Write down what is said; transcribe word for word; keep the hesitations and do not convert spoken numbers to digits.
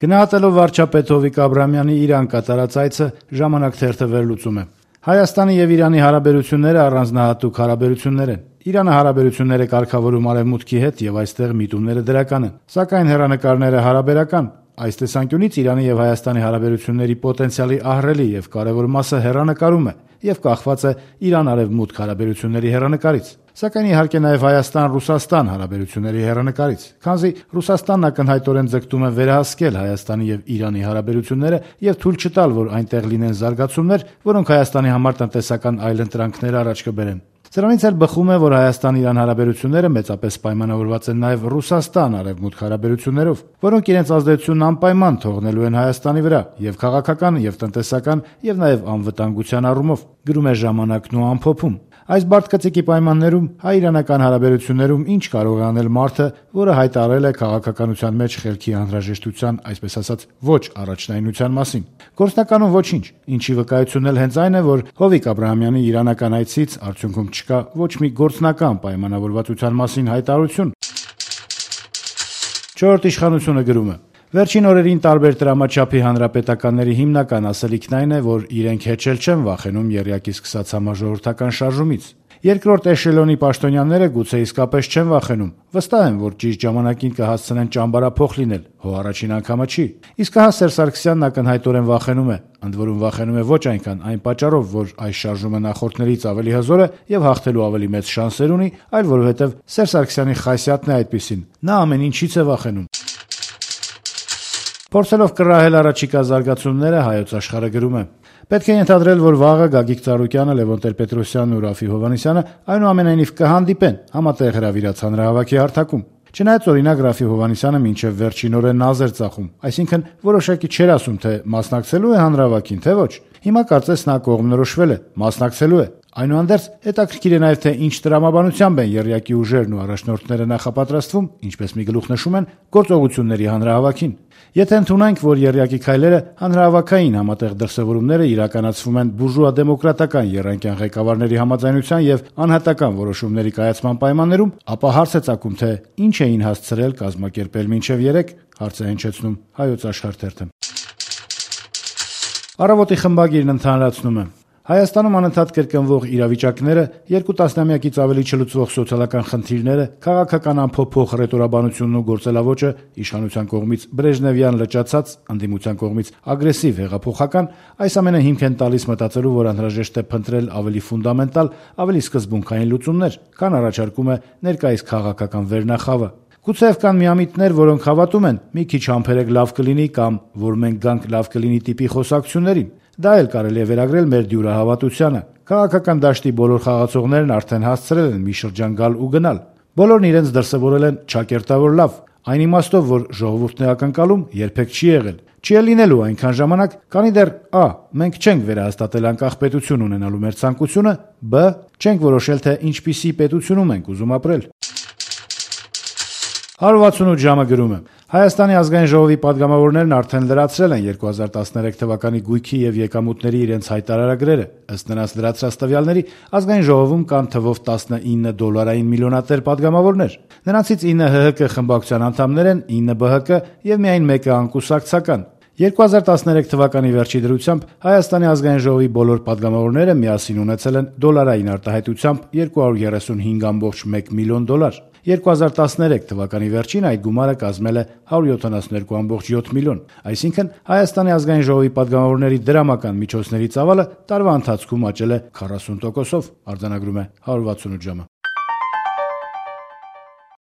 Գնահատելով վարչապետ Հովիկ Աբրահամյանի Իրան կատարած այցը, «Ժամանակ» թերթը վերլուծում է. Հայաստանի եւ Իրանի հարաբերությունները առանձնահատուկ հարաբերություններ են։ Իրանը հարաբերություններ է կարգավորում Արևմուտքի հետ եւ այստեղ միտումները դրական են, սակայն հեռանկարները հարաբերական։ Այս տեսանկյունից Իրանի եւ Հայաստանի հարաբերությունների պոտենցիալի ահռելի եւ կարեւոր մասը հեռանկարում է եւ կախված է Իրան-Արևմուտք հարաբերությունների հեռանկարից։ Սակայն իհարկե նաեւ Հայաստան-Ռուսաստան հարաբերությունների հեռանկարից, քանզի Ռուսաստանն ակնհայտորեն ձգտում է վերահսկել Հայաստանի եւ Իրանի հարաբերությունները եւ թույլ չտալ, որ այնտեղ լինեն զարգացումներ, որոնք Հայաստանի համար տնտեսական այլընտրանքներ առաջ կբերեն։ Սրանից էլ բխում է, որ Հայաստան-Իրան հարաբերությունները մեծապես պայմանավորված են նաեւ Ռուսաստան-Արևմուտք հարաբերություններով, որոնք իրենց ազդեցությունն անպայման թողնելու են Հայաստանի վրա եւ քաղաքական, եւ տնտեսական, եւ նաեւ անվտանգության առումով, գրում է «Ժամանակն» ու ամփոփում։ Այս բարդ կծիկի պայմաններում հայ-իրանական հարաբերություններում ինչ կարող է անել մարդը, որը հայտարարել է քաղաքականության մեջ խելքի անհրաժեշտության, այսպես ասած, ոչ առաջնայնության մասին։ Գործնականում ոչինչ, ինչի վկայությունն էլ հենց այն է, որ Հովիկ Աբրահամյանի իրանական այցից արդյունքում չկա ոչ մի գործնական պայմանավորվածության մասին հայտարարություն։ Չորրորդ իշխանությունը գրում է. Վերջին օրերին տարբեր տրամաչափի հանրապետականների հիմնական ասելիքն այն է, որ իրենք հեչել չեն վախենում եռյակի սկսած համաժողովրդական շարժումից։ Երկրորդ էշելոնի պաշտոնյաները գուցե իսկապես չեն վախենում, վստահ են, որ ճիշտ ժամանակին կհասցնեն ճամբարափոխ լինել, հո առաջին անգամը չի։ Իսկ հա Սերժ Սարգսյանն ակնհայտորեն վախենում է, ընդ որում վախենում է ոչ այնքան այն պատճառով, որ այս շարժումը նախորդներից ավելի հզոր է եւ հաղթելու ավելի մեծ շանսեր ունի, այլ որովհետեւ Սերժ Սարգսյանի խասյաթն է այդպիսին։ Նա ամեն ինչից է վախենում։ Փորձելով կռահել առաջիկա զարգացումները, Հայոց Աշխարհը գրում է. Պետք է ենթադրել, որ վաղը Գագիկ Ծառուկյանը, Լևոն Տեր-Պետրոսյանն ու Ռաֆի Հովհաննիսյանը այնուամենայնիվ կհանդիպեն համատեղ հրավիրած հանրահավաքի հարթակում։ Չնայած օրինակ Ռաֆի Հովհաննիսյանը մինչև վերջին օրը նազ էր ծախում, այսինքն որոշակի չէր ասում, թե մասնակցելու է հանրահավաքին, թե ոչ։ Հիմա կարծես նա կողմնորոշվել է, մասնակցելու է։ Այնուհանդերձ հետաքրքիր է նաև, թե ինչ տրամաբանությամբ են եռյակի ուժերն ու առաջնորդները նախապատրաստվում, ինչպես մի գլուխ նշում են, գործողությունների հանրահավաքին։ Եթե ընդունենք, որ եռյակի քայլերը հանրահավաքային համատեղ դրսևորումները իրականացվում են բուրժուա-դեմոկրատական եռանկյան ղեկավարների համաձայնության եւ անհատական որոշումների կայացման պայմաններում, ապա հարց է ծագում, թե ինչ էին հասցրել կազմակերպել մինչեւ երեք, հարց է հնչեցնում Հայոց Աշխարհ թերթը։ Առավոտի խմբագիրն ընդհանրացնում է. Հայաստանում անընդհատ կրկնվող իրավիճակները, երկու տասնամյակից ավելի չլուծվող սոցիալական խնդիրները, քաղաքական անփոփոխ ռետորաբանությունն ու գործելավոճը, իշխանության կողմից բրեժնևյան լճացած, ընդդիմության կողմից ագրեսիվ հեղափոխական, այս ամենը հիմք են տալիս մտածելու, որ անհրաժեշտ է փնտրել ավելի ֆունդամենտալ, ավելի սկզբունքային լուծումներ, քան առաջարկում է ներկայիս քաղաքական վերնախավը։ Գուցեև կան միամիտներ, որոնք հավատում են՝ մի քիչ համբերեք լավ կլինի կամ որ մենք գանք լավ կլինի տիպի խոսակցություններին։ Դա էլ կարելի է վերագրել մեր դյուրահավատությանը։ Քաղաքական դաշտի բոլոր խաղացողներն արդեն հասցրել են մի շրջան գալ ու գնալ։ Բոլորն իրենց դրսևորել են ճակերտավոր լավ, այն իմաստով, որ ժողովուրդն է ակնկալում, երբեք չի եղել։ Չի էլ լինելու այնքան ժամանակ, քանի դեռ ա. մենք չենք վերահաստատել անկախ պետություն ունենալու մեր ցանկությունը, բ. չենք որոշել, թե ինչպիսի պետությունում ենք ուզում ապրել։ հարյուր վաթսունութ ժամը գրում է. Հայաստանի ազգային ժողովի падգամավորներն արդեն լրացրել են երկու հազար տասներեք թվականի գույքի եւ եկամուտների իրենց հայտարարագրերը։ Ըստ նրանց լրացրած տվյալների, ազգային ժողովում կան թվով տասնինը դոլարային միլիոնատեր падգամավորներ։ Նրանցից ինը Հ Հ Կ խմբակցության անդամներ են, ինը B H K եւ միայն մեկը անկուսակցական։ երկու հազար տասներեք թվականի վերջի դրությամբ Հայաստանի ազգային ժողովի բոլոր падգամավորները միասին ունեցել են դոլարային արտահայտությամբ երկու հարյուր երեսունհինգ կόμma մեկ միլիոն դոլար։ երկու հազար տասներեք թվականի վերջին այդ գումարը կազմել է հարյուր յոթանասունհինգ կόμma յոթ միլիոն, այսինքն Հայաստանի ազգային ժողովի падգամավորների դրամական միջոցների ծավալը տարվա ընթացքում աճել է քառասուն տոկոսով, արձանագրում է հարյուր վաթսունութ ժամը։